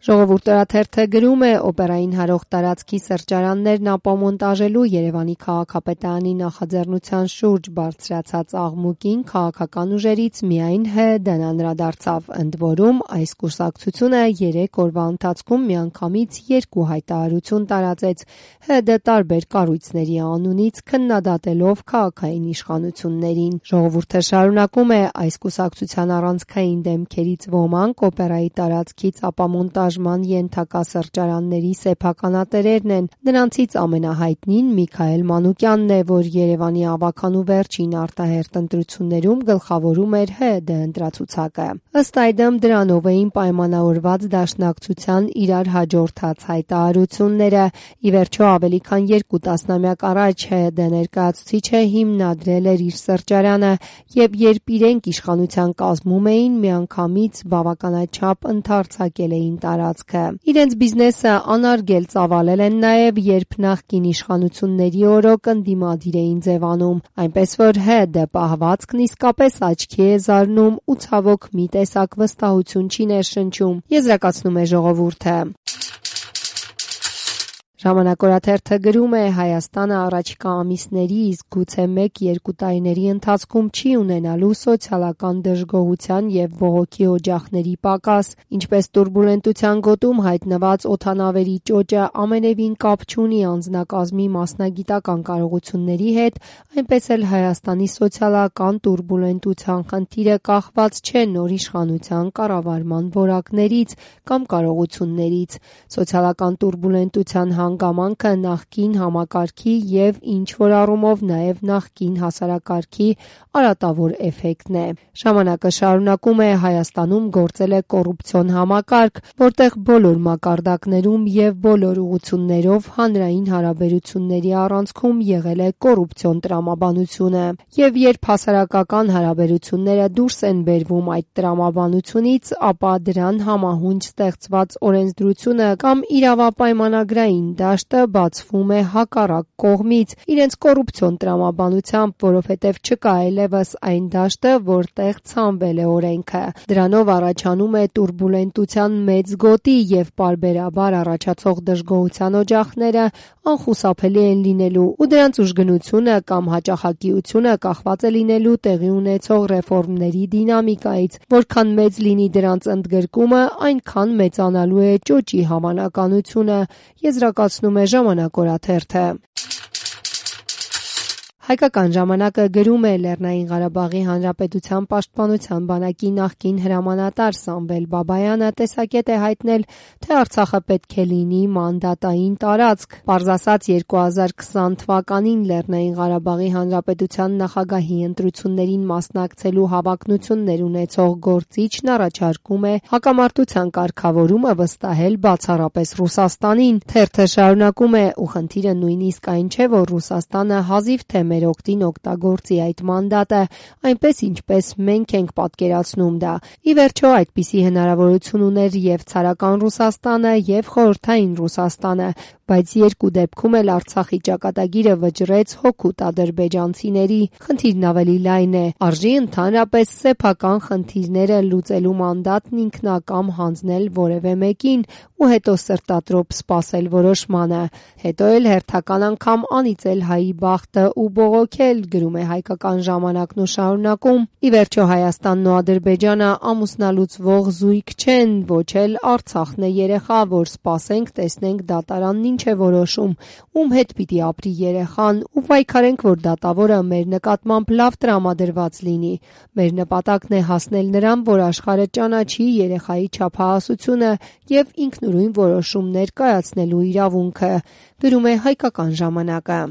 Ժողովուրդ օրաթերթը գրում է օպերային հարող տարածքի սրճարաններն ապամոնտաժելու Երևանի քաղաքապետարանի նախաձեռնության շուրջ բարձրացած աղմուկին քաղաքական ուժերից միայն ՀՀԴ-ն անդրադարձավ, ընդ որում այս կուսակցությունը 3 օրվա ընթացքում միանգամից 2 հայտարարություն տարածեց ՀՀԴ տարբեր կառույցների անունից քննադատելով քաղաքային իշխանություններին։ Ժողովուրդը շարունակում է այս կուսակցության առանցքային դեմքերից ոմանք օպերայի տարածքից ապամոնտաժ ենթակա սրճարանների սեփականատերերն են, նրանցից ամենահայտնին Միքայել Մանուկյանն է, որ Երևանի ավագանու վերջին արտահերթ ընտրություններում գլխավորում էր ՀՀԴ ընտրացուցակը։ Ըստ այդմ դրանով էին պայմանավորված դաշնակցության իրար հաջորդած հայտարարությունները։ Ի վերջո ավելի քան 2 տասնամյակ առաջ ՀՀԴ ներկայացուցիչը հիմնադրել էր իր սրճարանը եւ երբ իրենք իշխանության կազմում էին, միանգամից բավականաչափ ընդարձակել էին տարածքը։ Իրենց բիզնեսը անարգել ծավալել են նաև, երբ նախկին իշխանությունների օրոք ընդդիմադիր էին ձևանում, այնպես որ ՀՀԴ պահվածքն իսկապես աչքի է զարնում ու ցավոք մի տեսակ վստահություն չի ներշնչում, եզրակացնում է ժողովուրդը։ Ժամանակ օրաթերթը գրում է Հայաստանը առաջիկա ամիսների, իսկ գուցե 1-2 տարիների ընթացքում չի ունենալու սոցիալական դժգոհության եւ բողոքի օջախների պակաս, ինչպես տուրբուլենտության գոտում հայտնված օդանավերի ճոճը ամենևին կապ չունի անձնակազմի մասնագիտական կարողությունների հետ, այնպես էլ Հայաստանի սոցիալական տուրբուլենտության խնդիրը կախված չէ նոր իշխանության կառավարման որակներից կամ կարողություններից։ Սոցիալական տուրբուլենտության հանգամանքը նախկին համակարգի եւ ինչ-որ առումով նաեւ նախկին հասարակարգի արատավոր էֆեկտն է։ Ժամանակը շարունակում է Հայաստանում գործել է կոռուպցիոն համակարգ, որտեղ բոլոր մակարդակներում եւ բոլոր ուղղություններով հանրային հարաբերությունների առանցքում եղել է կոռուպցիոն տրամաբանությունը։ Եվ երբ հասարակական հարաբերությունները դուրս են բերվում այդ տրամաբանությունից, ապա դրան համահունչ ստեղծված օրենսդրությունը կամ իրավապայմանագրային դաշտը բացվում է հակառակ կողմից իրենց կոռուպցիոն տրամաբանությամբ, որովհետև չկա այլևս այն դաշտը, որտեղ ցանվել է օրենքը։ Դրանով առաջանում է տուրբուլենտության մեծ գոտի եւ պարբերաբար առաջացող դժգոհության օջախները անխուսափելի են լինելու ու դրանց ուժգնությունը կամ հաճախակիությունը կախված է լինելու տեղի ունեցող ռեֆորմների դինամիկայից, որքան մեծ լինի դրանց ընդգրկումը, այնքան մեծանալու է ճոճի հավանականությունը, եզրակացնում է Ժամանակ օրաթերթը։ Հայկական ժամանակը գրում է Լեռնային Ղարաբաղի Հանրապետության պաշտպանության բանակի նախկին հրամանատար Սամվել Բաբայանը տեսակետ է հայտնել, թե Արցախը պետք է լինի մանդատային տարածք։ Պարզ ասած 2020 թվականին Լեռնային Ղարաբաղի Հանրապետության նախագահի ընտրություններին մասնակցելու հավակնություններ ունեցող գործիչն առաջարկում է հակամարտության կարգավորումը վստահել բացառապես Ռուսաստանին։ Թերթը շարունակում է ու խնդիրը նույնիսկ այն չէ, որ Ռուսաստանը հազիվ թե մեր օգտին օգտագործի այդ մանդատը, այնպես ինչպես մենք ենք պատկերացնում դա։ Ի վերջո այդպիսի հնարավորություն ուներ եւ ցարական Ռուսաստանը եւ խորհրդային Ռուսաստանը, բայց երկու դեպքում էլ Արցախի ճակատագիրը վճռեց հօգուտ ադրբեջանցիների։ Խնդիրն ավելի լայն է։ Արժի ընդհանրապես սեփական խնդիրները լուծելու մանդատն ինքնակամ հանձնել որևէ մեկին ու հետո սրտատրոփ սպասել որոշմանը, հետո էլ հերթական անգամ անիծել հայի բախտը ու բողոքել, գրում է Հայկական ժամանակն ու շարունակում։ Ի վերջո Հայաստանն ու Ադրբեջանը ամուսնալուծվող զույգ չեն, ոչ էլ Արցախն է երեխա, որ սպասենք տեսնենք դատարանն ինչ է որոշում, ում հետ պիտի ապրի երեխան ու պայքարենք, որ դատավորը մեր նկատմամբ լավ տրամադրված լինի։ Մեր նպատակն է հասնել նրան, որ աշխարհը ճանաչի երեխայի չափահասությունը եւ ինքնուրույն որոշումներ կայացնելու իրավունքը, գրում է Հայկական ժամանակը։